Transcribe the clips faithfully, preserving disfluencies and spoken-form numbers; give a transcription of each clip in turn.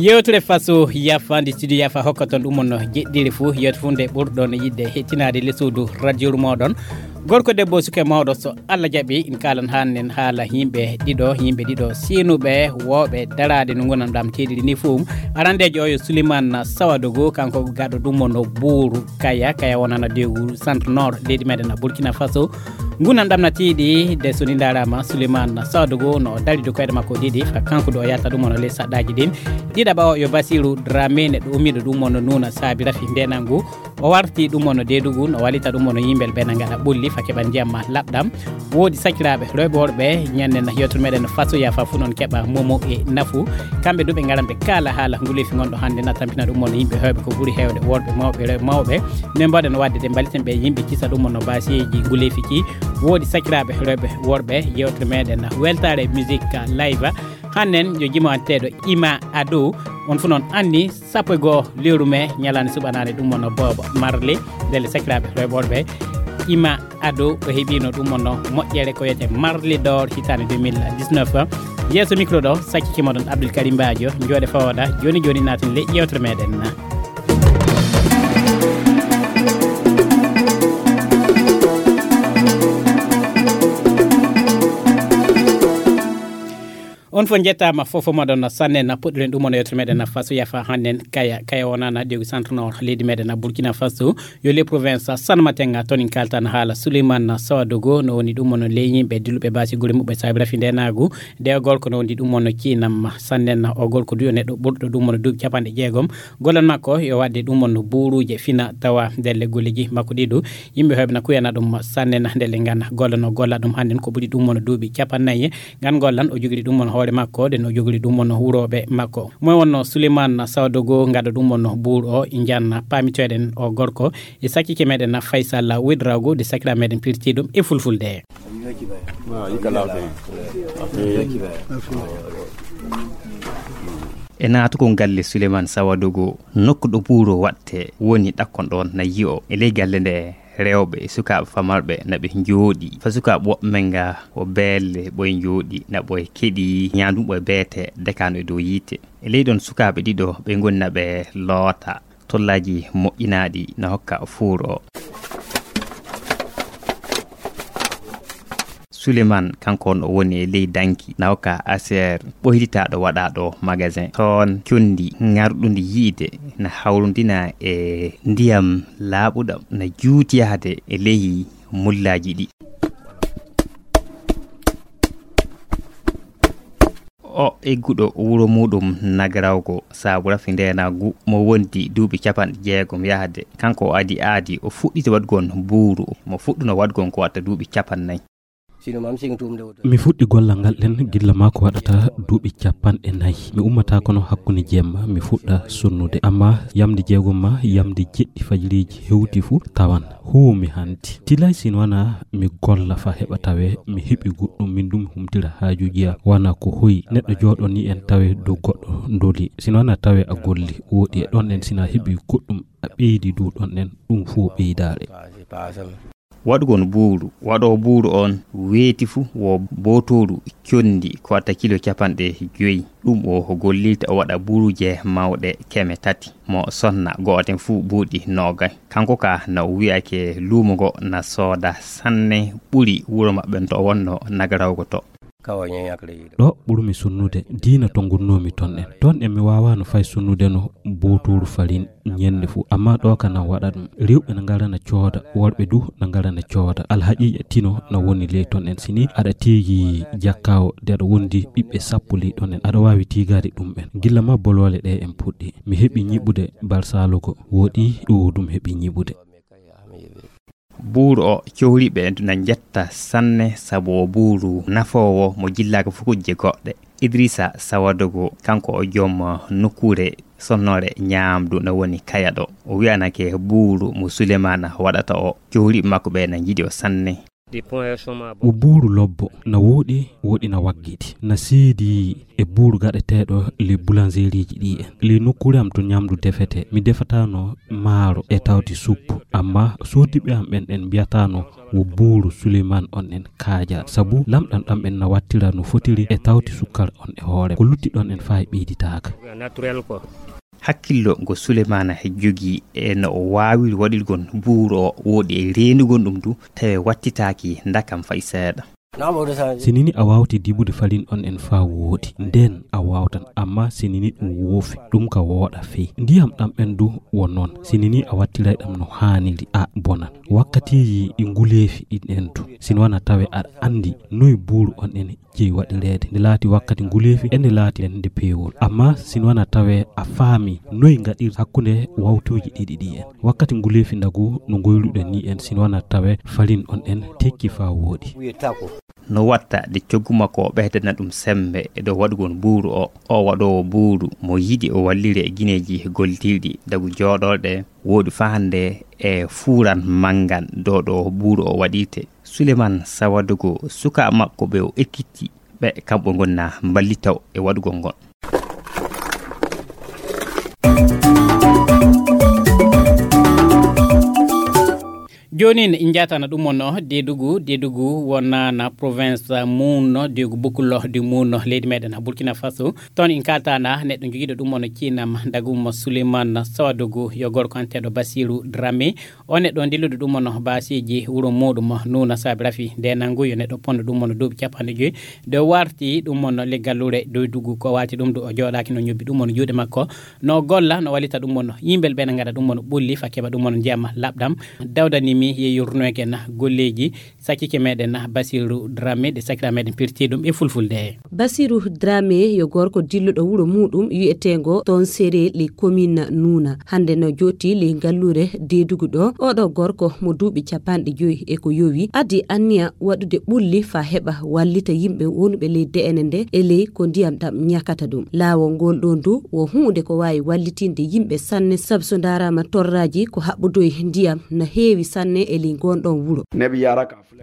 Yewtere Faso Yafa nde studio Yafa hokkaton ɗum on jeɗɗiri fuu, yewte fuu nde ɓurɗon yiɗde hettinaade le suudu radio moɗon. Gorko, debbo, suka, mawɗo, so Allah jaɓi, in kaalan haanen haala yimɓe ɗiɗo, yimɓe ɗiɗo seenuɓe, wooɓe daraade no ngonanɗam teeɗiri ni fuu. Arandeejo o yo Suleiman Sawadogo, kanko gaɗo ɗum on buuru Kaya, Kaya wonana dewgu centre nord leydi meɗen Burkina Faso. Ngunanɗam na tiiɗi de so ni ndaaraama Suleiman Sawadogo no o dari dow koyɗe makko ɗiɗi, fa kanko ɗo o yahata ɗum on ley saɗɗaaji ɗin. Ɗiɗaɓa o yo Basiru Dramé, neɗɗo ummiiɗo ɗum on Nuuna Saabi Rafi Ndenangu. O warti ɗum on deedugu, no wallita ɗum on yimɓe ɓe na ngaɗa ɓulli fa keɓa ndiyam ma laɓɗam. Woodi sakiraaɓe rewɓe worɓe, ñannen yewtere meɗen Faso Yafa fuu non keɓa momo e nafu. Kamɓe du ɓe ngaran ɓe kaala haala nguleefi ngonɗo hannde na tampina ɗum on yimɓe heewɓe ko ɓuri heewde worɓe mawɓe, rewɓe mawɓe. Nde mbaɗen waɗde de mballiten ɓe yimɓe kisa ɗum on no baasiyeeji nguleefi ki. Woodi sakiraaɓe rewɓe worɓe, yewtere meɗen weltaare musique live. Hannen yo jimo anteeɗo Ima Ado, on fuu non anni sappo e goo lewru mee ñalaande suɓanaande ɗum on Bob Marley, ndelle sakiraaɓe rewɓe worɓe, Ima Ado o heɓiino ɗum on moƴƴere ko wiyetee Marley d'Or hitaande deux mille dix-neuf. Yeeso micro ɗo sakkike moɗon Abdoul Karim Badio, njooɗe fawooda jooni jooni naaten ley yewtere meɗen. On fof njettaama, fof fof moɗon sanne na puɗɗiren ɗum on yewtere meɗen na Faso Yafa hannen Kaya, Kaya wonana dewgu centre nord leydi meɗen na Burkina Faso, yo les provinces Sanmatenga toon en kaltan haala Souleymane Sawadogo, no woni ɗum on ley yimɓe dilluɓe baasi gure muɓɓe saabi rafi ndenaagu. De o gorko no woni ɗum on kiinam sanne na o gorko du yo neɗɗo ɓurɗo ɗum on duuɓi capanɗe jeegom. Gollal makko yo waɗde ɗum on buuruuje fina tawa ndelle golleji makko ɗi du. Yimɓe heewɓe na kuyana ɗum sanne na ndelle ngana golla no golla ɗum hannden ko ɓuri ɗum on duuɓi capannayyi. Ngan gollan o jogiri ɗum on hoore makko, ɗen o jogiri ɗum on wurooɓe makko. Moy wonno Souleymane Sawadogo ngaɗa ɗum on buur o, njanna paamitoɗen o gorko e sakkike meɗen Faysal Ouedraogo de sakira meɗen pirti ɗum e fulfulde. E naatugol galle Souleymane Sawadogo, nokku ɗo buur o waɗte woni ɗakkon ɗon na yi'o e ley galle nde. Rewɓe e sukaaɓe famarɓe na ɓe njooɗi fa sukaaɓe woɓɓe men nga o beelle ɓoye njooɗi na ɓoye keɗi ñaandu ɓoye beete dekano e dow yiite. E ley ɗon sukaaɓe ɗiɗo ɓe ngoni na ɓe loota tollaaji moƴƴinaaɗi na hokka fuur o. Suleiman kanko on o woni e ley danki na hokka aseer ɓoyditaaɗo waɗaaɗo magasin toon, conndi ŋarɗundi yiide na hawrundina e ndiyam laaɓuɗam na juuti yahde e ley mullaaji ɗi. O egguɗo wuro muɗum Nagarawgo saabu rafi ndeenaagu mo wondi duuɓi capanɗe jeegom yahde, kanko o adi aadi o fuɗɗiti waɗgon buuru mo fuɗɗuno waɗgon ko watta duuɓi capannay. Mi fuɗɗi gollal ngal ɗen gilla maa ko waɗata duuɓi capanɗe nayi. Mi ummata kono hakkunde jemma mi fuɗɗa sonnude. Amma yamde jeegom ma yamde jeɗɗi fajiriiji hewti fu tawan huumi hanti. Tilay sin wana mi golla fa heɓa tawe mi heɓi goɗɗum min ɗum humtira haajuji am. Wana ko hoyi neɗɗo jooɗo ni en tawe dow goɗɗo ndoli. Sin wana tawe a golli woɗi e ɗon en sina heɓi goɗɗum a ɓeydi dow ɗon en ɗum fu o ɓeydaare. Waɗugol buuru, waɗoowo buuru on weeti fu wo bootooru conndi ko watta kilo capanɗe joyi. Ɗum o gollirta o waɗa buuruuje mawɗe keme tati. Mo sonna gooten fu buuɗi noogay. Kanko ka na o wi'ake luumo ngo na sooda sanne ɓuri wuro maɓɓe to o wonno Nagarawgo to. Ɗo ɓurmi sunnude diina to ngunnoomi ton en. Ton en mi waawaano fay sunnude no bootooru farin ñennde fuu. Ammaa ɗo ka na waɗa ɗum. Rewɓe na ngara na cooda, worɓe du na ngara na cooda. Alhaqiiqa tino na woni ley ton en. Si ni aɗa tiigi jakkaawo de aɗa wondi ɓiɓɓe sappo ley ɗon en, aɗa waawi tiigaade ɗum ɓen. Gilla ma boloole ɗe en puɗɗi. Mi heɓi ñiɓude Barsaalogo, woɗi ɗo ɗum heɓi ñiɓude. Buuru o cohliiɓe na njetta sanne sabu o buuru nafoowo mo jillaaka fukujje goɗɗe. Idrissa Sawadogo kanko o joom nokkuure sonnoore ñaamdu na woni Kaya ɗo. O wiyanake buuru mo Sulemana waɗata o. Cohliiɓe makko ɓe na njiɗi o sanne. O buuru lobbo na wooɗi, wooɗi na waggiti. Na seedi e buuru gaɗeteeɗo le boulangerie ji ɗi en. Le nokkuure am to ñaamdu defete. Mi defatano maaro e tawti suppu. Amma soodiɓe am ɓen en mbiyataano wo buuru Suleymaan on en kaaja, sabu lamɗam ɗam en na wattira no fotiri e tawti sukkar on e hoore. Ko lutti ɗon en faa e ɓeyditaaka. Hakkillo ngo Suleymaana jogii e no o waawiri waɗirgon buuru o wooɗi e reenugol ɗum du, tawi wattitaaki ndakam fay seeɗa. Sinini a waawti dibude falin on en faa wooɗi, nden a waawtan, amma sinini ɗum woofi, ɗum ka wooɗa fey. Ndiyam ɗam en du wo non, sinini a wattiray ɗam no haaniri, a bonan. Wakkatiiji ɗi nguleefi ɗin en du, sini wana tawe aɗa anndi noy buuru on en jeyi waɗireede. Nde laati wakkati nguleefi, e nde laati en nde peewol. Amma sini wana tawe a faami noy ngaɗir hakkunde wawtuuji ɗiɗi ɗi en. Wakkati nguleefi ndagu no ngoyruɗen ni en, sini wana tawe falin on en tekki faa wooɗi. No watta de coggu makko o ɓeydana ɗum sembe e dow waɗugol buuru o. O waɗoowo buuru mo yiɗi o wallire e gineeji gollitiiɗi dagu jooɗorɗe wooɗi faa hannde e fuuran manngan dow ɗo buuru o waɗirte. Suleman Sawadogo, suka makko ɓe o ekkitti ɓe kamɓe ngonna mballita o e waɗugol ngol. Jooni en njatana ɗum on deedugu deedugu wonana province mum deegu bukkullo de mum leydi meɗen burkina faso. Toon en kaltana neɗɗo jogiiɗo ɗum on ciinam dagum suleiman sawadugu yo gorko anteɗo basiru drame. O neɗɗo dilluɗo ɗum on baasiiji wuro muɗum nuna saabi rafi nde nangu yo neɗɗo ponno ɗum on duuɓi capanɗe joyi. Nde warti ɗum on leggal lure doydugu ko wati ɗum ɗo o jooɗaki no ñobbi ɗum on juuɗe makko. No golla no wallita ɗum on yimɓe ɓe na gaɗa ɗum on ɓulli fa keɓa ɗum on ndiyam laɓɗam. Dawdanimi ye yurnoyke na golleji sakkike meɗen basiru drame ɗe sakira meɗen pirti ɗum e fulfulde. Basiru drame yo gorko dilluɗo wuro muɗum wi'etengo ton sere le commune nuna hande no joti le gallure dedugu ɗo. Oɗo gorko mo duuɓi capanɗe joyi e ko yowi addi anniya waɗude ɓulli fa heɓa wallita yimɓe wonɓe ley de'ene nde e ley ko ndiyam ɗam ñakata ɗum. Laawol ngol ɗon du wo huunde ko waawi wallitinde yimɓe sanne, sabu so ndaaraama torraaji ko haɓɓodoyi ndiyam na heewi sanne e ley ngon ɗon wuro.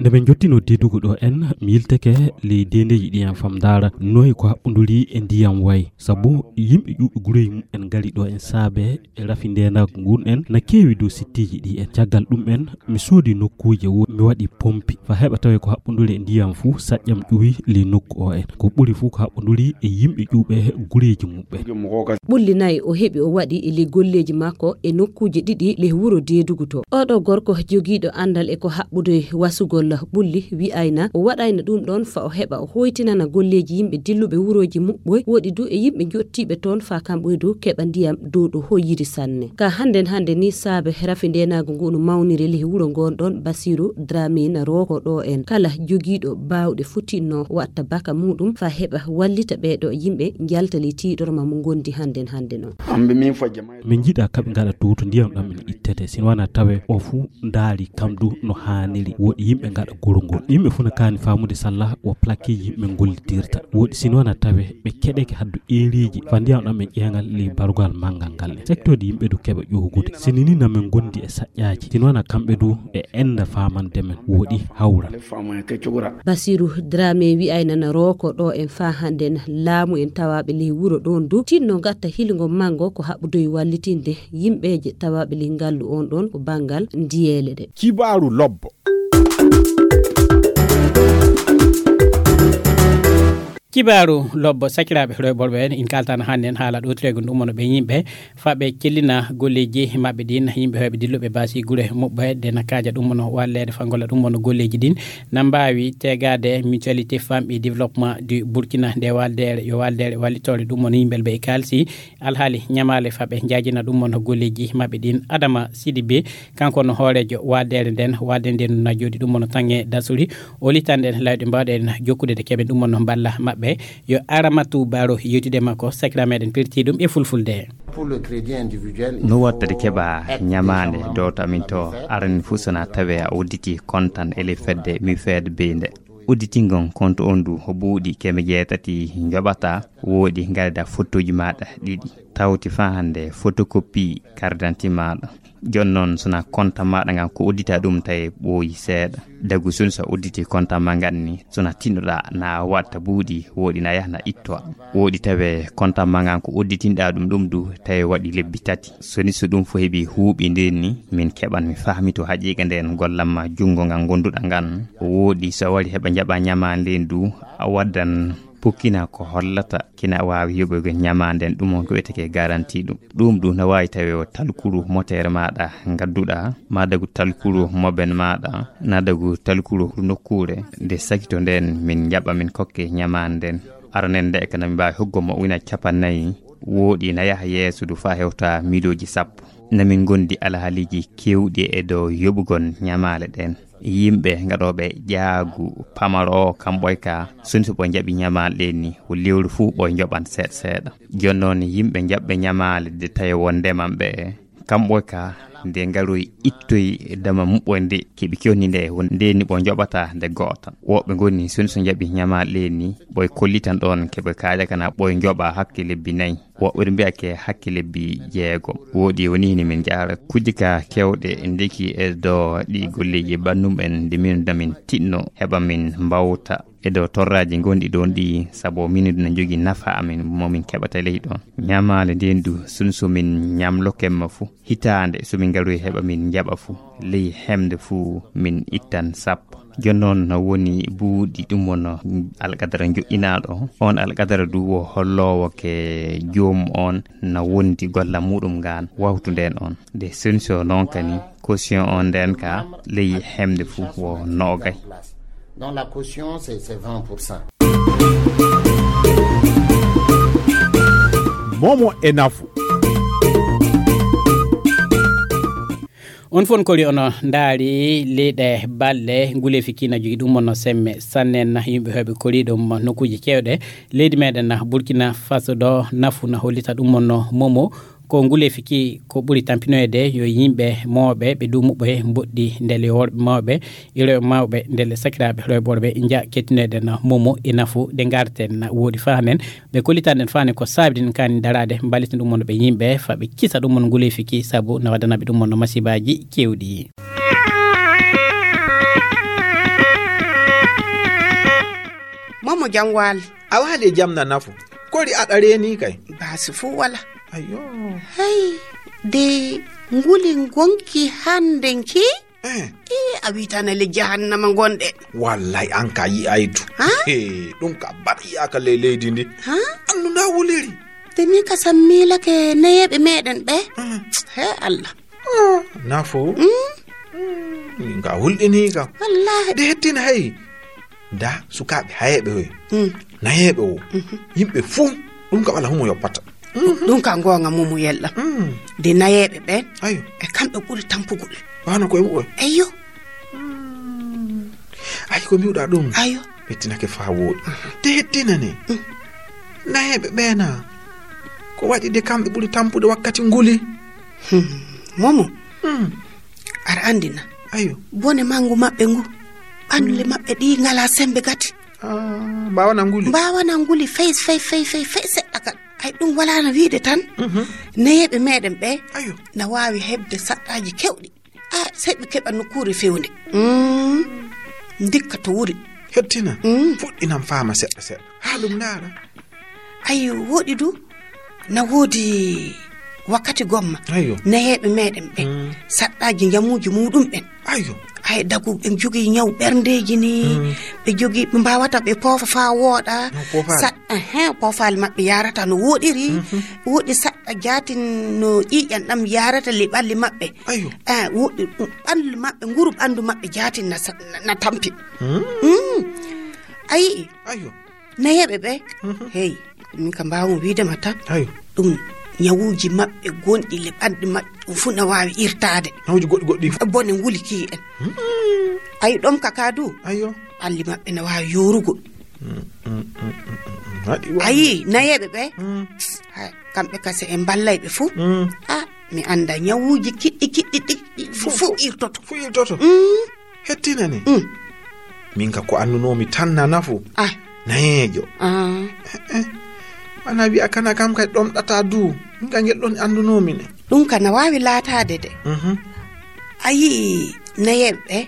Nde min njottino deedugu ɗo en, mi yilteke ley deendeeji ɗi en fam ndaara noy ko haɓɓonduri e ndiyam wayi, sabu yimɓe ƴuuɓi gureeji mum en ngari ɗo en saabe e rafi ndeenaagu ngun en na keewi dow sittiiji ɗi en. Caggal ɗum en, mi soodi nokkuuje wo mi waɗi pompi fa heɓa tawe ko haɓɓonduri e ndiyam fuu saƴƴam ƴuwi ley nokku o en. Ko ɓuri fuu ko haɓɓonduri e yimɓe ƴuuɓe gureeji mum ɓen. Ɓulli nayi o heɓi o waɗi e ley golleeji makko e nokkuuje ɗiɗi ley wuro deedugu to. Oɗo gorko jogiiɗo anndal e ko haɓɓude wasugol ɓulli wi'ayna o waɗayna ɗum ɗon fa o heɓa o hoytinana golleeji yimɓe dilluɓe wurooji muɓɓoy woɗi du e yimɓe jottiiɓe toon fa kamɓoy du keɓa ndiyam dow ɗo hoyiri sanne. Ka hannden hannde ni saabe rafi ndeenaagu ngu no mawniri ley wuro ngon ɗon basiru dramina rooko ɗo en kala jogiiɗo baawɗe fotinno watta baka muɗum fa heɓa wallita ɓeeɗo yimɓe njalta ley tiiɗorma mo ngondi hannden hannde noon. Min njiɗa kaɓe ngaɗa dow to ndiyam ɗam ina ittete sino wana tawe o fuu ndaari kam du no haaniri woɗi yimɓe ngaɗa goro ngol. Yimɓe fuu na kaani faamude salla wo plaqueji yimɓe ngollitirta woɗi sino wana tawe ɓe keɗeke haddu eeriiji fa ndiyam ɗam e ƴeeŋal ley barugal manngal ngal en secteur de yimɓe du keɓa ƴoogude sini ni na min ngondi e saƴƴaaji sino wana kamɓe du ɓe enda faamande men woɗi hawra. Basiru drame wi'ay nana rooko ɗo en faa hannden laamu en tawaaɓe ley wuro ɗoon du tinno ngatta hilngo manngo ko haɓɓudoy wallitinde yimɓeeje tawaaɓe ley ngallu oon ɗoon ko banngal ndiyeele ɗe. Kibaaru lobbo. Kibaaru lobbo sakiraaɓe rewɓorɓe en in kaltana hannden haala ɗotireego ɗum wono ɓe yimɓe faɓe cellina golleji maɓɓe ɗin yimɓe heɓe dilluɓe basi gure muɓɓe de nakkaja ɗum wono wallede fa golla ɗum wono golleji ɗin na mbawi tegade mutualité femme et développement du burkina nde waldere yo waldere wallitore ɗum wono yimɓel ɓe e kalsi alhaali ñamale faɓe jajina ɗum wono golleji maɓɓe ɗin adama sidi be kanko no hoorejo waldere nden walde nden na jooɗi ɗum wono tange dasuri o litanɗen lawɗe mbawɗen jokkude de keɓen ɗum wono mballa maɓɓe. Yo aramatu baro yewtude makko sakira meɗen pirti ɗum e fulfulde. No wattade keɓa ñamaande dowta min to arani fof sona tawe a udditi kontan ele fedde mi feede beyde udditingol konto on du buuɗi keme jeetati joɓata woodi ngarda fottoji maɗa ɗiɗi tawti fa hande photocopie carte d'identité maɗa. Jooni noon, so na konta maaɗa ngan ko uddita ɗum, tawi ɓooyi seeɗa. Dagu sun so udditi konta ma ngan ni, so na tinnoɗa na watta buuɗi, wooɗi na yaha na ittoa. Wooɗi tawe konta ma ngan ko udditinɗa ɗum ɗum du, tawi waɗi lebbi tati. So ni so ɗum fof heɓi huuɓi nden ni, min keɓan mi fahmito haqiiqa nden gollan ma junngo ngan gonduɗa ngan. O wooɗi so a wari heɓa jaɓa ñama nden du, a waddan pukkina ko hollata kina waawi yoɓugo ñama nden, ɗum on ko wiyetee garanti ɗum. Ɗum du na waawi tawi o talkuru motere maaɗa ngadduɗa, ma dagu talkuru moben maaɗa, na dagu talkuru nokkuure nde sakito nden min jaɓa min kokke ñama nden. Aranen nde e kana mi mbaawi hoggo mo wina capannayi, wooɗi na yaha yeeso du faa hewta miilooji sappo. Na min ngondi alhaaliiji keewɗi e dow yoɓugol ñamaale ɗen. Yimɓe gaɗooɓe jaagu pamaro o, kamɓoy ka, sun so ɓoy jaɓi ñamaale ɗen ni, o lewru fuu ɓoy joɓan seeɗa seeɗa. Jooni noon, yimɓe jaɓɓe ñamaale de tawi won ndeman ɓe, kamɓoy ka, nde ngaroy ittoy dama muɓɓoy nde, keɓi kewni nde, won nde ni ɓoy joɓata nde go'otan. Woɓɓe ngoni sun so jaɓi ñamaale ɗen ni, ɓoy kollitan ɗon, keɓe kaaƴa kana ɓoy joɓa hakke lebbi nayi. Woɓɓe mbiya ke hakke lebbi jeegom. Wooɗi woni hini min jaara kujje ka kewɗe ndeki e do ɗi golleji ɓannum en nde min damin tinno heɓa min mbawta e do torraji gonɗi ɗon ɗi, sabo min na jogi nafa amin mo min keɓata ley ɗon. Ñamaale nden du sun so min ñamlo kemma fu, hitaande so min ngaroy heɓa min jaɓa fu, ley hemde fu min ittan sappo. Jooni noon no woni buuɗi ɗum won alqadara joƴƴinaaɗo. On alqadara du wo holloowo ke joom on na wondi golla muɗum ngaan wawtu nden on. Nde solution noon kani caution on nden ka ley hemde fuu wo noogay. Donc la caution, c'est, c'est vingt pour cent. Momo e nafu. On fof kori ono ndaari leyɗe balɗe nguleefi kii na jogii ɗum wonno semme sanne na yimɓe heɓe kori ɗum nokkuuji keewɗe. Leydi meɗen na Burkina Faso ɗo nafu na hollita ɗum wonno momo ko nguleefi kii ko ɓuri tampinoyde yo yimɓe mawɓe ɓe duumuɓe mboɗɗi ndele worɓe mawɓe e rewɓe mawɓe ndele sakiraaɓe rewɓe worɓe nja kettinoyde na momo e nafu ɗe ngarten na woodi fahanen. Ɓe kollitan en faani ko saabi ɗin kaani daraade, mballita ɗum wonno ɓe yimɓe, fa ɓe kisa ɗum wonno nguleefi ki, sabu na waddana ɓe ɗum wonno masibaaji keewɗi. Momo jam waali. A waali e jam na nafu. Kori aɗa reeni kay. Baasi fuu wala. Ayo. Hay, de nguli ngonki hande ki? Eh. Ii, a wii tan e le jahannama ngonɗe. Wallay, an ka yi'aytu. Ha? He, ɗum ka baɗ yi'aaka ley leydi ndi. Ha? Annu nda wuliri. Te min ka sam miilake nayeeɓe meɗen ɓe. Mm. He Allah. Ah, nafo. Mm. Mm, min ka hulɗini ka. Wallahi. De hettina hey. Nda sukaaɓe hayeeɓe hoy. Mm. Nayeeɓe o. Mhm. Yimɓe fuu ɗum ka wala humo yoppata. Mhm. Ɗum ka ngoonga mumu yella. Mm. De nayeeɓe ɓen. Ayo. E kamɓe ɓuri tampugol. Wano koye muɓɓen. Eyyo. Mm. Ay, ko miwɗa ɗum. Ayo. Ɓettinake faa wooɗi. Mhm. De hettinane. Mm. Nayeeɓe ɓeena. Ko waɗi de kamɓe ɓuri tampude wakkati nguli. Hmm. Momo. Hmm. Aɗa anndi na. Ayo. Bone manngu maɓɓe ngu. Ɓalli maɓɓe ɗi ngala sembe gati. Ah, mbaawana nguli. Mbaawana nguli fey, fey, fey, fey, fey seɗɗa kan. Ay, ɗum walaana wiide tan. Mhm. Nayeeɓe meɗen ɓe. Ayo. Na waawi heɓde saɗɗaaji kewɗi. Ah, sey ɓe keɓa nokkuure fewnde. Mm. Ndikka to wuri. Hettina. Mm. Fuɗɗinan faama seɗɗa seɗɗa. Haa ɗum ndaara. Ayo, woɗi du. Na woodi wakkati gomma. Ayo. Nayeeɓe meɗen ɓe. Mm. Saɗɗaaji njamuuji muɗum ɓen. Ayo. Ay, dagu ɓe jogii ñaw ɓerndeeji ni. Mm. Ɓe jogii, ɓe mbaawata ɓe poofa faa wooɗa. Ñaw poofaali. Sa-, ehe, poofaali maɓɓe yaarata no wooɗiri. Mhm. Woɗi saɗɗa jaatin no ƴiiƴan ɗam yaarata le ɓalli maɓɓe. Ayo. Eh, woɗi, mm, ɓalli maɓɓe, nguru ɓanndu maɓɓe jaatin na sa-, na, na tampi. Mm. Mm. A yi'i? Ayo. Nayeeɓe ɓe? Mhm. Hey, min ka mbaawmi wiide ma tan. Ayo. Ɗum ñawuuji maɓɓe gonɗi le ɓandu maɓɓe, ɗum fuu na waawi irtaade. Ñawuuji goɗɗi goɗɗi. Bone nguli kii en. Mm. Ayi ɗom ka ka du? Ayo. Ɓalli maɓɓe na waawi yoorugol. Mm, mm, mm, mm, mm. Waɗi wa- Ayi, nayeeɓe ɓe? Mm. Hay, kamɓe ka se en mballay ɓe fuu. Mm. Ah, mi annda ñawuuji kiɗɗi, kiɗɗi, ɗi, ɗi fuu, fuu irtoto. Fuu irtoto. Mm. Hettinani. Mm. Min ka ko annunoomi tan na nafu. Ah. Nayeejo. Ah. Eh, eh. Ana wiya kana kam kay ɗomɗata du. Min ka ngel ɗon anndunoomi ne. Ɗum ka na waawi laataade de. Mhm. A yii nayeeɓe ɓe?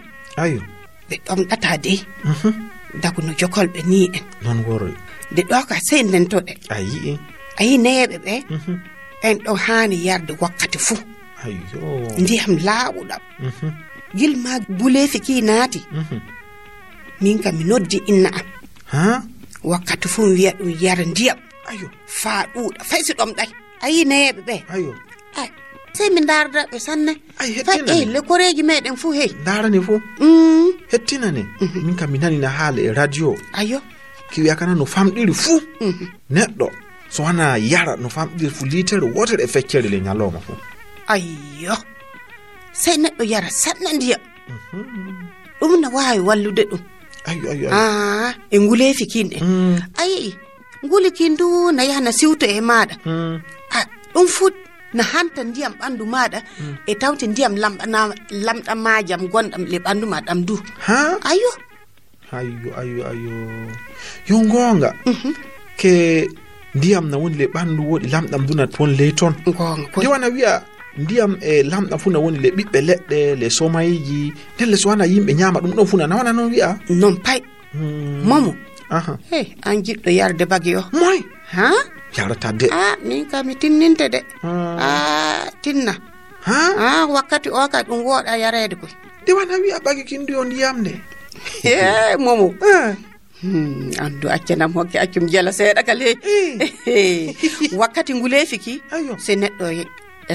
Ayo. Ɓe ɗomɗata de. Mhm. Dagu no jokolɓe ni en. Non woroy. De ɗo ka sey ndentoɗe. A yii. A yii nayeeɓe ɓe? Mhm. Ɓen ɗo haani yarde wakkati fuu. Ayo. Ndiyam laawuɗam. Mhm. Gilma guleefi ki naati. Mhm. Min ka mi noddi inna am. Ha? Wakkati fuu mi wiya ɗum yara ndiyam. Ayo. Faa ɗuuɗa. Fay si ɗomɗay. A yii nayeeɓe ɓe? Ayo. Ay, sey mi ndaarda ɓe sanne. Ay, fay, hettina eh, ne. Le koreeji meɗen fuu, hey. Ndaarani fuu. Mm. Hettina ne. Mhm. Min kam mi nani na haala e radio. Ayo. Ki wiya kana no famɗiri fuu. Mhm. Neɗɗo. So wana yara no famɗiri fuu liitere wootere e feccere le ñalooma fuu. Ayo. Sey neɗɗo yara sanne ndiyam. Mhm. Ɗum na waawi wallude ɗum. Ayo, ayo, ayo. Ah, e nguleefi kin en. Mm. A yii, nguli kin du na yaha na siwto e maaɗa. Mm. Ah, ɗum fuu na hanta ndiyam ɓanndu maaɗa. Mm. E tawte ndiyam lamɗana-, lamɗamaajam gonɗam le ɓanndu ma ɗam du. Ha? Ayo. Ayo, ayo, ayo. Yo ngoonga. Mhm. Ke ndiyam na woni le ɓanndu woɗi lamɗam du na woni ley ton. Ngoonga koy. Nde wana wiya ndiyam e lamɗam fuu na woni le ɓiɓɓe leɗɗe, le somayji. Ndelle so wana yimɓe ñaama ɗum ɗon fuu na, na wana non wiya? Non pay. Hmm. Momo. Aha. Hey, an jiɗɗo yarde bagi o. Moy? Ha? Yarata de. Ah, min ka mi tinninte de. Hmm. Ah, tinna. Ha? Ah, wakkati o ka ɗum wooɗa yareede koy. De wana wiya bagi kin du yo ndiyam de. Hey, Momo. Eh. Hmm, anndu accanam hokke accum jela seeɗa ka ley. Eh. Wakkati nguleefi ki, ayo. Se neɗɗo ye-,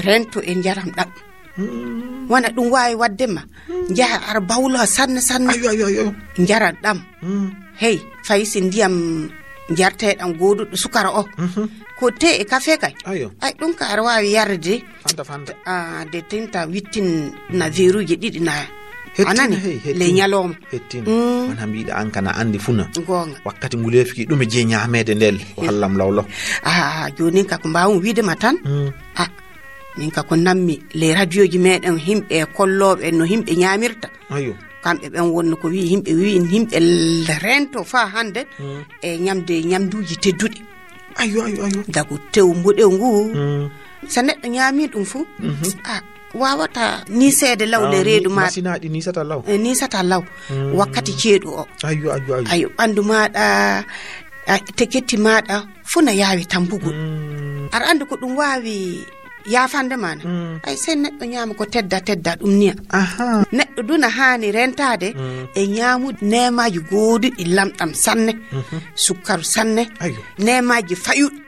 rento e njaram ɗam. Hmm. Wana ɗum waawi waɗde ma. Hmm. Njaha ara bawlo sanne sanne. Ayo, ayo, ayo. Njaram ɗam. Hmm. Hey, fay si ndiyam njarteeɗam gooduɗo sukara o. Mhm. Ko te e kafe kay. Ayo. Ay, ɗum ka ara waawi yarde. Fanta, fanta. Ah, de tinta wittin na veruuji ɗiɗi na. Hettina, anani, hey, hettina. Le ñalooma. Hettina. Mm. Wana mbiɗa an kana anndi fuu na. Ngoonga. Wakkati nguleefi ki ɗum e je ñaameede ndel. Wallam lawlo. Ah, jooni ka ko mbaawum wiide ma tan. Mm. Ah, min ka ko nammi le radioji meɗen himɓe kollooɓe no himɓe ñaamirta. Ayo. Kamɓe ɓen wonno ko wi'i, yimɓe wi'i, yimɓe l-, rento faa hannde. Mm. E ñamde ñamduuji tedduɗi. Ayo, ayo, ayo. Dagu tew mboɗew ngu. Mm. So neɗɗo ñaami ɗum fuu, mhm, a waawata niiseede law le reedu ma. Masinaaɗi niisata law. E niisata law. Mm. Wakkati ceeɗu o. Ayo, ayo, ayo. Ayo, ɓanndu maaɗa, a, teketti maaɗa, fuu na yaawi tambugol. Mm. Aɗa anndi ko ɗum waawi yaafande ma na. Mm. Ay, sey neɗɗo ñaama ko tedda, tedda ɗum niya. Aha. Neɗɗo du na haani rentaade, mm, e ñaamude neemaaji gooduɗi lamɗam sanne, mhm, sukkaru sanne, ayo, neemaaji fayuɗi.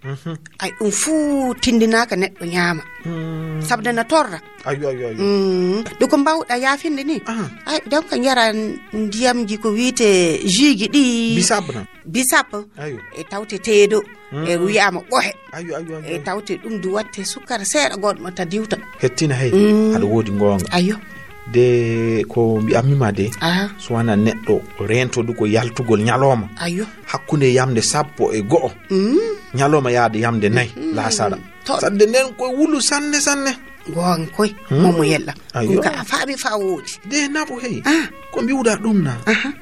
Mhm. Ay, ɗum fuu tindinaaka neɗɗo ñaama. Mm. Sabde na torra. Ayo, ayo, ayo. Mm. Ɗum ko mbaawɗa yaafinde ni. Aha. Ay, donc njara ndiyamji ko wiyte jus ji ɗi. Bisab na. Bisap, ayo, e tawte teedo, mm, e wiyaama ɓohe. Ayo, ayo, ayo, e ayo, tawte ɗum du watte sukkara seeɗa goɗɗo ta diwta. Hettina, hey. Mm. Aɗa woodi ngoonga. Ayo. De ko mbi'ammi ma de, aha, so wana neɗɗo rento du ko yaltugol ñalooma. Ayo. Hakkunde yamde sappo e go'o. Mm. Ñalooma yaade yamde nayi, mm, laasara. To. Sadde nden ko wulu sanne, sanne. Goonga koy, hmm? Momo yella. Ayo. Ɗum ka a faami faa woodi. De naɓu, hey. Ah. Ko mbi'uɗaa ɗum na? Aha.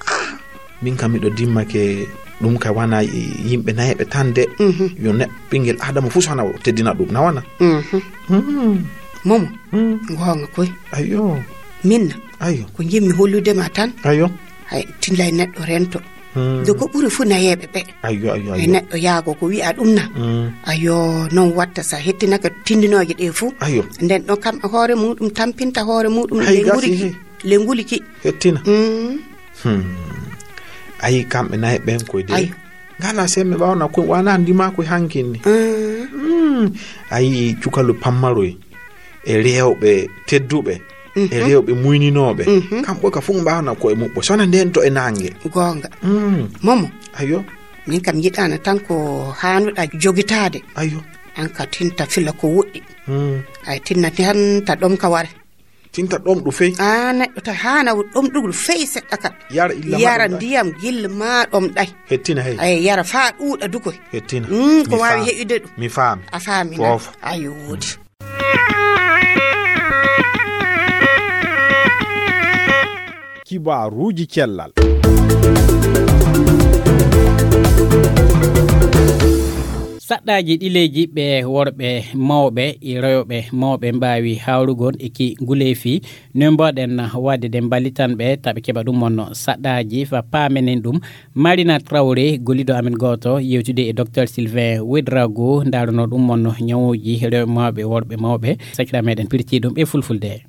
Ah. Min kam miɗo dimmake ɗum ka wana yimɓe nayeɓe tan de. Mhm. Yo neɗɗo ɓinngel Aadama fuu so hana o teddina ɗum, na wana? Mhm. Hmm. Momo. Hmm. Goonga koy. Ayo. Min na? Ayo. Ko njimmi hollude ma tan. Ayo. Hay, tillay neɗɗo rento. Hmm. De ko ɓuri fuu nayeeɓe ɓe. Ayyo, ayyo, e ayyo. Neɗɗo yaago ko wi'a ɗum na. Hmm. Ayyo, non watta sa hettinaka tindinooje ɗe fuu. Ayyo. Nden ɗon kam hoore muɗum tampinta hoore muɗum. Hay le gasi, nguriki, hey. Le nguliki. Hettina. Hmm. Hmm. Ayi kamɓe nayi ɓen koy de. Ayyo. Ngala sembe ɓawna ko wana ndima ko hankinni. Hmm. Hmm. Ayi cukalu pammaroy. E rewɓe tedduɓe, mhm, e rewɓe muyninooɓe, mhm, kamɓe ka fof mbaawna koye muɓɓo, sona nden to e naange. Goonga. Mm. Momo. Ayo. Min kam yiɗaana tan ko haanuɗa jogitaade. Ayo. An ka tinta fila ko woɗɗi. Mm. Ay tinna tan ta ɗom ka ware. Tinta ɗom ɗo fey. A neɗɗo ta haana ɗom ɗugol fey seɗɗa ka. Yara illa ma yara ɗom ɗay. Ndiyam gilla ma ɗom ɗay. Hettina hey. Ay yara faa ɗuuɗa dukoy. Hettina. Mm, ko mi waawi faam. Heɓude ɗum. Mi faami. A faami na? Foof. Ayo woodi. Kibaaruuji cellal. Saɗɗaaji ɗileeji ɓe worɓe mawɓe e rewɓe mawɓe mbaawi hawrugol e ki nguleefi, noy mbaawɗen waɗde de mballitan ɓe, taɓe keɓa ɗum wonno saɗɗaaji fa paamenen ɗum. Marina Traoré, golliɗo amen gooto, yewtude e Docteur Sylvain Ouedraogo, ndaarano ɗum wonno ñawuuji rewɓe mawɓe e worɓe mawɓe, sakira meɗen pirti ɗum e fulfulde.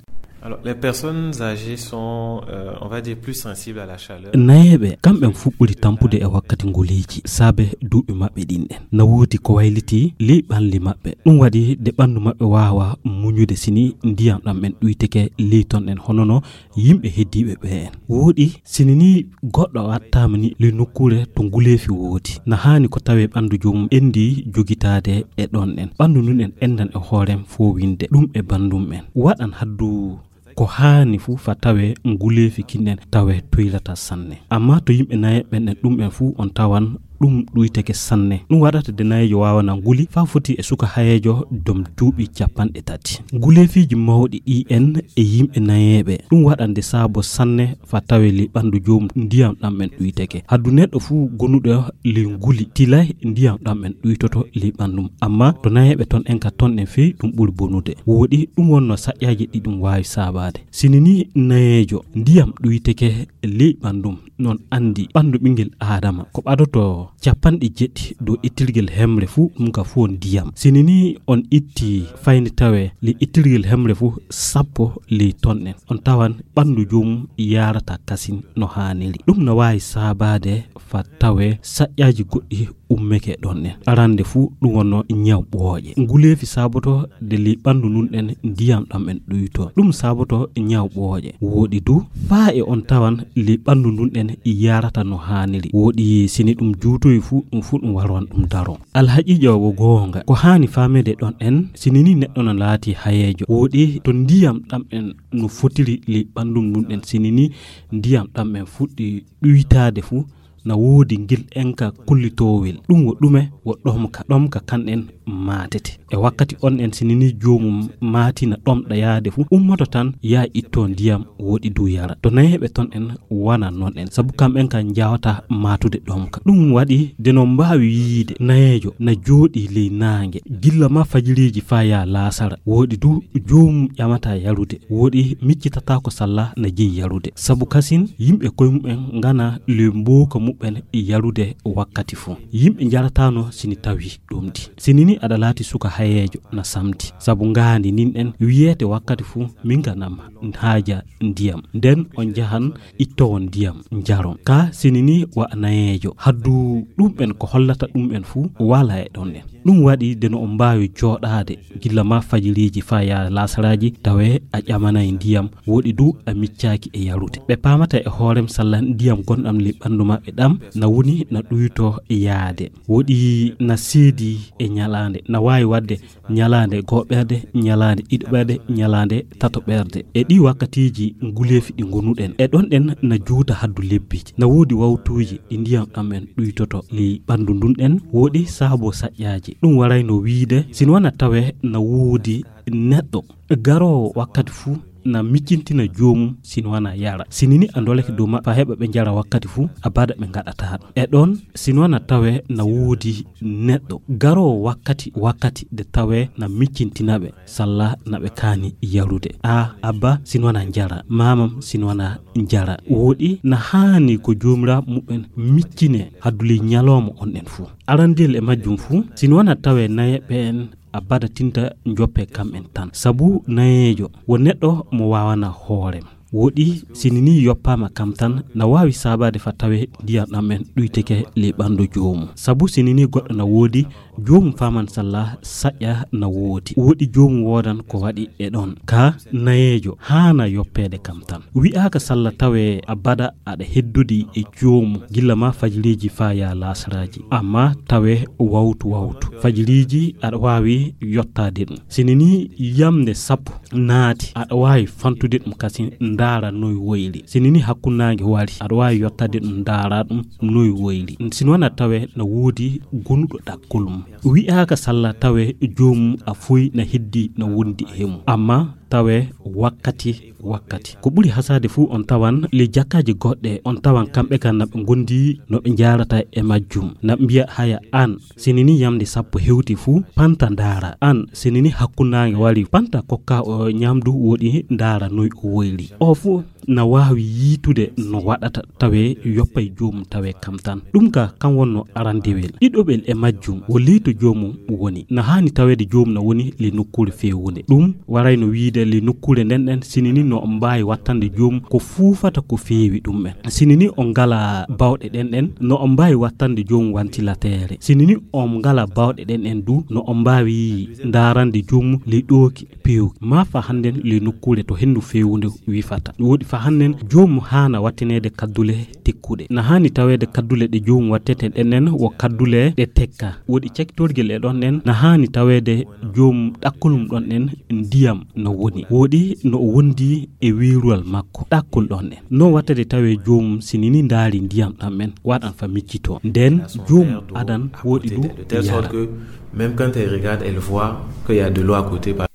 Alors, les personnes âgées sont, euh, on va dire, plus sensibles à la chaleur. Nayeeɓe, kamɓen fuu ɓuri tampude e wakkati nguleeji, saabe duuɓi maɓɓe ɗin ɗen. Na woodi ko wayliti ley ɓalli maɓɓe. Ɗum waɗi de ɓanndu maɓɓe waawa muñude sini ndiyam ɗam en ɗuyteke ley ton en, hono no yimɓe heddiiɓe ɓe en. Wooɗi, sini ni goɗɗo wattaama ni ley nokkuure to nguleefi woodi, na haani ko tawee ɓanndu joomum enndi jogitaade e ɗon en. Ɓanndu ndun en enndan e hoorem foowinde ɗum e banndum en. Waɗan haddu ko haani fuu fa tawee nguleefi kin en tawee toylata sanne. Amma to yimɓe nayeeɓe ɓen en ɗum en fuu on tawan ɗum ɗuyteke sanne. Ɗum waɗata de nayeejo waawana nguli faa foti e suka hayeejo dom duuɓi capanɗe tati. Nguleefiiji mawɗi ɗi en e yimɓe nayeeɓe, ɗum waɗan de saabo sanne fa tawee ley ɓanndu joomum ndiyam ɗam en ɗuyteke. Haddu neɗɗo fuu gonuɗo ley nguli tilay ndiyam ɗam en ɗuytoto ley ɓanndum. Amma to nayeeɓe ton en ka ton en fey ɗum ɓuri bonude. Wooɗi ɗum wonno saƴƴaaji ɗi ɗum waawi saabaade. Sini ni nayeejo ndiyam ɗuyteke ley ɓanndum, non anndi ɓanndu ɓinngel Aadama ko ɓadoto capanɗe jeɗɗi dow ittirgel hemre fuu, ɗum ka fuu on ndiyam. Sini ni on itti fayni tawee ley ittirgel hemre fuu sappo ley ton en, on tawan ɓanndu joomum yaarata kasin no haaniri. Ɗum na waawi saabaade fa tawee saƴƴaaji goɗɗi ummeke ɗon en. Arande fuu ɗum wonno ñaw ɓooƴe. Nguleefi saaboto de ley ɓanndu ndun en ndiyam ɗam en ɗuyto. Ɗum saaboto ñaw ɓooƴe. Wooɗi du faa e on tawan ley ɓanndu ndun en yaarata no haaniri. Wooɗi sini ɗum juutoyi fuu, ɗum fuu ɗum waran ɗum daro. Alhaqiiqa wo goonga. Ko haani faameede ɗon en, sini ni neɗɗo na laati hayeejo. Wooɗi to ndiyam ɗam en no fotiri ley ɓanndum ndun en, sini ni ndiyam ɗam en fuɗɗi ɗuytaade fuu, na woodi ngil enka kullitoowel. Ɗum wo ɗume? Wo ɗomka. Ɗomka kan en maatete. E wakkati on en sini ni joomum maatina ɗomɗa yaade fuu, ummoto tan yaa itto ndiyam wooɗi du yara. To nayeeɓe ton en wana non en, sabu kamɓen kan njawata maatude ɗomka. Ɗum waɗi de no mbaawi yiide nayeejo na jooɗii ley naange, gilla ma fajiriiji faa yaa laasara. Wooɗi du joomum ƴamata yarude. Wooɗi miccitataako salla na jeyi yarude. Sabu kasin yimɓe koye mumen ngana ley mbooka muɓɓen yarude wakkati fuu. Yimɓe njarataano sini tawi ɗum di. Sini ni aɗa laati suka hayeejo na samti. Sabu ngaandi nin en wiyeete wakkati fuu min nganam haaja ndiyam. Nden on njahan ittowon ndiyam njaron. Ka sini ni wa nayeejo. Haddu ɗum en ko hollata ɗum en fuu wala e ɗon en. Ɗum waɗi de no on mbaawi jooɗaade gilla ma fajiriiji faa yaa laasaraaji, tawee a ƴamanay ndiyam, wooɗi du a miccaaki e yarude. Ɓe paamata e hoorem salla ndiyam gonɗam ley ɓanndu maɓɓe ɗam na woni na ɗuyto yaade. Wooɗi na seedi e ñalaande, na waawi waɗde ñalaande go'oɓerde, ñalaande ɗiɗoɓerde, ñalaande tatoɓerde. E ɗii wakkatiiji nguleefi ɗi ngonuɗen, e ɗon ɗen na juuta haddu lebbi. Na woodi wawtuuji ɗi ndiyam ɗam en ɗuytoto ley ɓanndu ndun ɗen, wooɗi saabo saƴƴaaji. Ɗum warayno wiide, sino wona tawee na woodi neɗɗo garoowo wakkati fuu na miccintina joomum, sino wona yara. Sini ni a ndolake dow maɓɓe faa heɓa ɓe njara wakkati fuu, abada ɓe ngaɗataa ɗum. E ɗon, sino wona tawee na woodi neɗɗo garoowo wakkati, wakkati de tawee na miccintina ɓe, salla na ɓe kaani yarude. A, abba, sino wona njara. Maamam, sino wona njara. Wooɗi na haani ko joomiraaɓe muɓɓen miccine haddu ley ñalooma on en fuu. Arandel e majjum fuu, sino wona tawee nayeeɓe en abada tinta njoppe kam en tan. Sabu nayeejo wo neɗɗo mo waawana hoorem. Wooɗi sini ni yoppaama kam tan, na waawi saabaade faa tawee ndiyam ɗam en ɗuyteke ley ɓanndu joomum. Sabu sini ni goɗɗo na woodi, joomum faaman salla saƴƴa na woodi. Wooɗi joomum woodan ko waɗi e ɗon. Ka nayeejo haana yoppeede kam tan. Wi'aaka salla tawee abada aɗa heddodi e joomum gilla ma fajiriiji faa yaa laasaraaji. Amma tawee wawtu wawtu. Fajiriiji aɗa waawi yottaade ɗum. Sini ni yamnde sappo naati, aɗa waawi fantude ɗum kasin ndaara noy woyri. Sini ni hakkunnaange wari, aɗa waawi yottaade ɗum ndaara ɗum noy woyri. Sino wona tawee na woodi gonuɗo ɗakkol mum. Wi'aaka salla tawee joomum a foy na heddi na wondi e mum. Amma tawee wakkati wakkati. Ko ɓuri hasaade fuu, on tawan ley jakkaaji goɗɗe, on tawan kamɓe kan na ɓe ngondi no ɓe njaarata e majjum. Na ɓe mbiya, haya aan, sinini yamnde sappo hewti fuu, panta ndaara. Aan, sinini hakkunnaange wari, panta kokka o ñamdu woɗi ndaara noy o woyri. O fuu na waawi yiitude no waɗata tawee yoppay joomum tawee kam tan. Ɗum ka kan wonno arandewel. Ɗiɗoɓel e majjum wo ley to joomum woni. Na haani taweede joomum na woni ley nokkuure feewunde. Ɗum warayno wiide ley nokkuure nden ɗen, sinini no on mbaawi wattande joomum ko fuufata ko feewi ɗum en. Sinini on ngala bawɗe ɗen ɗen, no on mbaawi wattande joomum wantilateere. Sinini on ngala bawɗe ɗen ɗen du, no on mbaawi ndaarande joomum ley ɗooki peewki. Maa fa hannden ley nokkuure to henndu feewunde wifata. Woɗi fa hannden joomum haana wattineede kaddule tekkuɗe. Na haani taweede kaddule ɗe joomum wattete ɗen ɗen wo kaddule ɗe tekka. Woɗi cakkitorgel e ɗon ɗen, na haani taweede joomum ɗakkol mum ɗon ɗen ndiyam no woni. Woɗi no o wondi e weeruwal makko. Ɗakkol ɗon ɗen. No wattede tawee joomum sinini ndaari ndiyam ɗam en, waɗan fa miccitoo. Nden joomum adan woɗi ɗum de telle sorte yara. Que même quand elle regarde, elle voit qu'il y a de l'eau à côté. Par-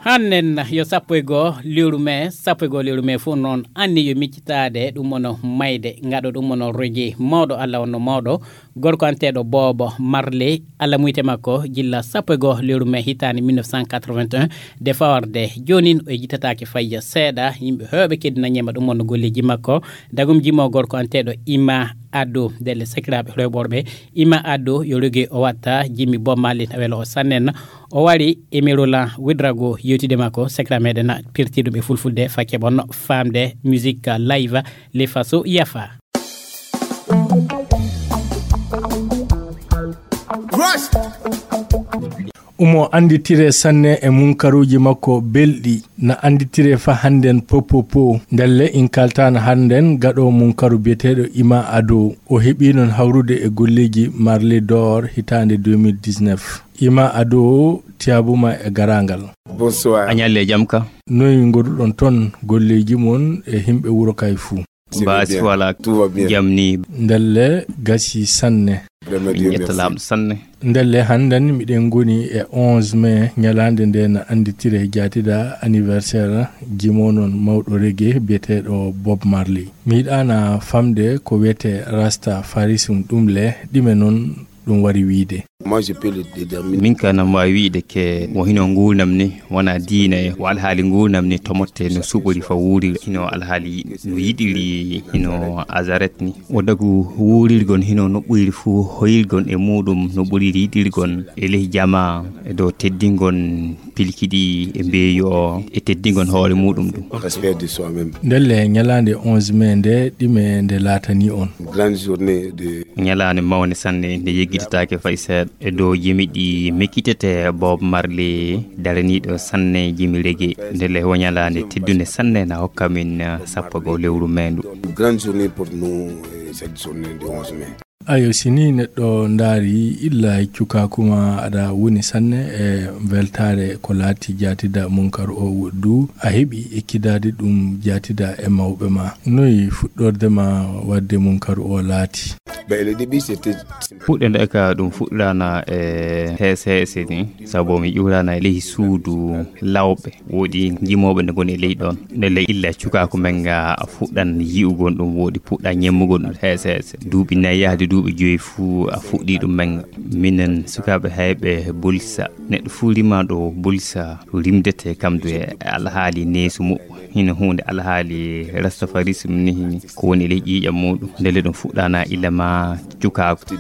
Hannen yo sappo e goo lewru mee, sappo e goo lewru mee fof noon anni yo miccitaade ɗum woni mayde, ngaɗo ɗum woni roje mawɗo, Allah wonno mawɗo, gorko anteeɗo Boobo Marley, Allah muyte makko gilla sappo e goo lewru mee hitaande mille neuf cent quatre-vingt-un, de fawarde joonin o yejjitataake fayya seeɗa, yimɓe heewɓe keddina ñema ɗum wonno golleeji makko, dagum jimo gorko anteeɗo Ima Addo, ndelle sakiraaɓe rewɓe worɓe, Ima Addo yo roge o watta jimmi Bob Marley na welo o sannen. O wari e Merolan Ouedraogo yewtidde makko, sakiraaɓe meɗen na pirti ɗum e fulfulde fa keɓon faamde musique live le faso yafa. Omo annditire sanne e munkaruuji makko belɗi, na annditire fa hannden popopo. Ndelle in kaltaano hannden gaɗo munkaru biyeteeɗo Ima Ado. O heɓi noon hawrude e golleeji Marley d'Or hitaande deux mille dix-neuf. Ima Ado, tiyaabuma e garaangal. Bonsoir. A ñalle jam ka? Noy ngoduɗon toon golleeji mon e himɓe wuro kay fuu? Mbaasi wala. Tout va bien. Jam ni. Ndelle gasi sanne. Vraiment, min Dieu ƴetta merci. Laaɓɗo sanne. Ndelle hannden miɗen ngoni e onze mai, ñalaande nde na annditire jaatida anniversaire jimo noon mawɗo reggae biyeteeɗo Bob Marley. Mi yiɗaana famde ko wiyetee Rasta Farism ɗum le, ɗime noon ɗum wari wiide. Moi, je peux le déterminer. Min ka nam waawi wiide ke wo hino nguurnam ni, wona diina e wo alhaali nguurnam ni tomotte no suɓori fa wuuriri, hino alhaali no yiɗiri, hino azaret ni. O dagu wuurirgon hino no ɓuyri fuu hoyirgon e muuɗum no ɓuriri yiɗirgon e ley jamaa e dow teddingon pilkiɗi e mbeeyu o e teddingon hoore muuɗum ɗum. Respect de soi-même. Ndelle ñalaande onze mai nde ɗime nde laatani on? Grande journée de. Ñalaande mawnde sanne nde yeggitataake fay seeɗa. E dow jimi ɗi mekitete Bob Marley daraniiɗo sanne jimi reggae. Ndelle wo ñalaande teddunde sanne na hokka min, eh, sappo goo lewru meendu. Grande journée pour nous, eh, cette journée de onze mai. Ayo, si ni neɗɗo ndaari illa cukaaku ma aɗa woni sanne e weltaare ko laati jaatida munkar o woɗɗu, a heɓi ekkidaade ɗum jaatida e mawɓe ma. Noy fuɗɗorde ma waɗde munkar o laati? Ben, le début, c'était. Fuɗɗe nde ka ɗum fuɗɗirana e heese heese ni, sabu mi ƴuurana e ley suudu lawɓe. Woodi jimooɓe ne ngoni e ley ɗon. Ndelle illa cukaaku men nga a fuɗɗan yi'ugol ɗum, woodi puɗɗa ñemmugol ɗum heese heese. Duuɓi nayi yahde duuɓi joyi fuu a fuɗɗii ɗum men nga. Minen sukaaɓe hayɓe Bolisa. Neɗɗo fuu rima ɗo Bolisa, rimdete kam du e alhaali neesu muɓɓo. Hino huunde alhaali rastafarisme ni ko woni e ley ƴiiƴam muuɗum. Ndelle ɗum fuɗɗana illa ma cukaaku.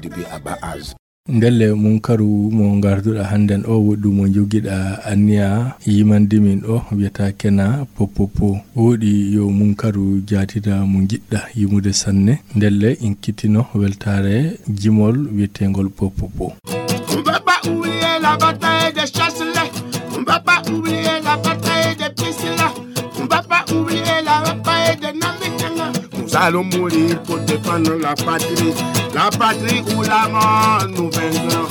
Ndelle munkaru mo ngarduɗa hannden o, woɗɗu mo njogiɗa anniya yimande min o, wiyata kena Popopo. Woɗi yo munkaru jaatida mo njiɗɗa yimude sanne. Ndelle in kittino weltaare jimol wiyeteengol Popopo. On va pas oublier la bataille de Chasselet. On va pas oublier la bataille de Piscina. On va pas oublier la bataille de Namitanga. Nous allons mourir pour défendre la patrie. La patrie ou la mort, nous vaincrons.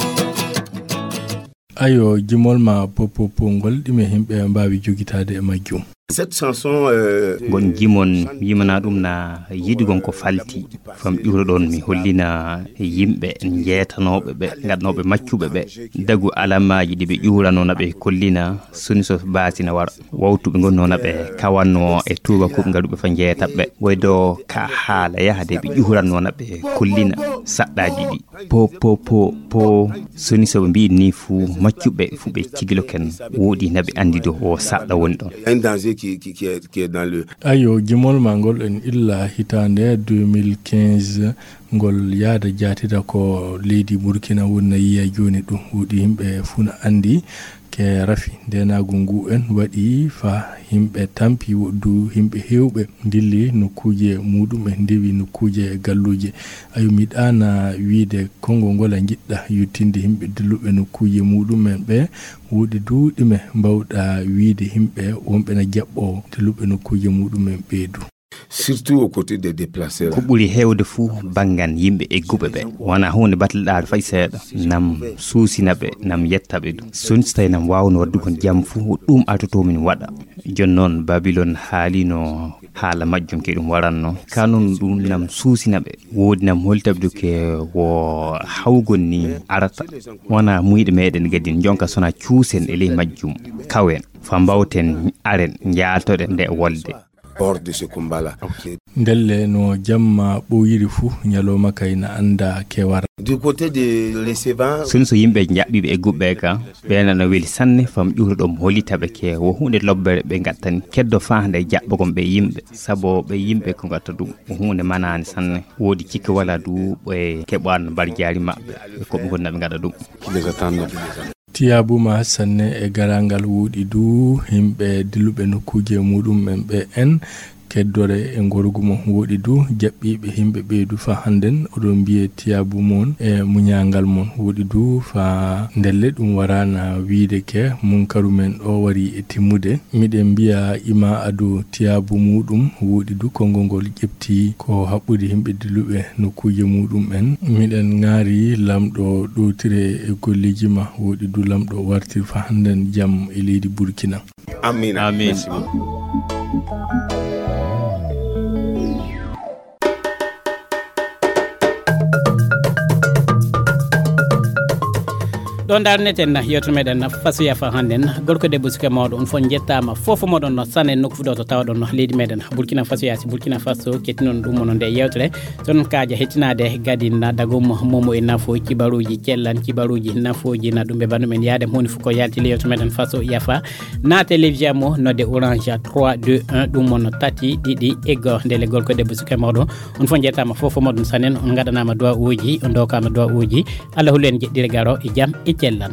Ayo, jimol ma Popopo ngol, ɗime himɓe mbaawi jogitaade e majjum? Cette chanson, euh, ngon jimon, yimana ɗum na yiɗugon ko falti. Fam ƴuuro ɗon mi hollina yimɓe jeetanooɓe ɓe, gaɗanooɓe maccuɓe ɓe. Dagu alamaaji ɗi ɓe ƴuuranoo na ɓe kollina, soni so baasi na wara. Wawtuɓe ngon noona ɓe kawanno e tuuba kuɓ ngaɗuɓe fa jeetaɓe. Woy do ka haala yahade ɓe ƴuuranno na ɓe kollina saɗɗaaji ɗi. Po, po, po, po, soni so ɓe mbiyi ni fu maccuɓe fu ɓe cigilo ken woɗi na ɓe andi do o saɗɗa woni ɗon. Un danger qui, qui, qui est, qui est dans le Ayo, gimol ma ngol en illa hitaande deux mille quinze, ngol yaada jaatida ko leydi Burkina woni na yiya jooni ɗum. Woɗi yimɓe fu na andi ke rafi ndenaagu ngu en waɗi fa yimɓe tampi woɗdu yimɓe heewɓe ndilli nokkuuje muɗum e ndewi nokkuuje galluuje. Ayo, mi ɗaana wiide konngol ngol a njiɗɗa yottinde yimɓe dilluɓe nokkuuje muɗum en ɓe woɗi du ɗume mbawɗa wiide yimɓe wonɓe na jaɓɓo dilluɓe nokkuuje muɗum en ɓe du. Surtout aux côtés des déplacés. Ko ɓuri heewde fuu banngan yimɓe egguɓe ɓe. Wonaa huunde battleɗaare fay seeɗa. Nam suusina ɓe, nam yetta ɓe ɗum. Soni so tawi nam waawno waɗdugol jam fuu, ɗum altoto min waɗa. Jooni noon, Babilon haalino haala majjum ke ɗum waranno. Kanun ɗum nam suusina ɓe. Woodi nam holtaɓe du ke wo hawgol ni arata. Wonaa muyɗe meɗen gadin jonka sona cuusen e ley majjum. Kawen, fa mbawten aren njaaltoɗen nde wolde. Hors de ce combat-là. Ndelle no jamma ɓooyiri fuu, ñalooma kay na annda ke wara. Du côté de Recevant. Soni so yimɓe jaɓɓiiɓe e guɓɓe ka, ɓe nana weli sanne, fam ƴuuro ɗum holita ɓe ke wo huunde lobbere ɓe ngattani. Keddo faa nde jaɓɓogon ɓe yimɓe, sabo ɓe yimɓe ko ngatta ɗum, wo huunde manaani sanne. Woodi cikke wala du ɓe keɓan mbarjaari maɓɓe, ko ɓe ngonna ɓe ngaɗa ɗum. Qui les attend. Tiyaabu ma sanne e garaangal woɗi du, yimɓe dilluɓe nokkuuje muɗum en ɓe en keddore e ngorgu mon woɗi du, jaɓɓiiɓe yimɓe ɓeydu fa hannden, oɗon mbiye tiyaabu mon e muñaangal mon woɗi du, fa ndelle ɗum waraana wiide ke munkaru men ɗo wari e timmude. Miɗen mbiya ima ado tiyaabu muɗum woɗi du, konngol ngol ƴefti ko haɓɓude yimɓe dilluɓe nokkuuje muɗum en. Miɗen ŋaari Lamɗo ɗowtire e golleeji ma, woɗi du Lamɗo wartir fa hannden jam e leydi Burkina. Amiin. Amiin. Merci beaucoup. Ɗo ndarneten yewtere meɗen Faso Yafa hannden. Gorko debbo suka mawɗo, on fof njettaama, fof moɗon no sanen nokku fuɗo to tawɗon no leydi meɗen Burkina Faso. Yaasi Burkina Faso kettinon ɗum mono nde yewtere. Ton kaaja hettinaade gadin na dagum momo e nafo kibaruuji cellan, kibaruuji nafooji na ɗum ɓe bandu men yaade moni fuko yalti le yewtere meɗen Faso Yafa. Na télévision mo nodde Orange trois deux un ɗum mono tati ɗiɗi ego ndele gorko debbo suka mawɗo. On fof njettaama, fof fof moɗon sanen, on ngaɗanaama du'a uji, on dokaama du'a uji. Allah hullu en jeɗɗire garo e jam e cellan.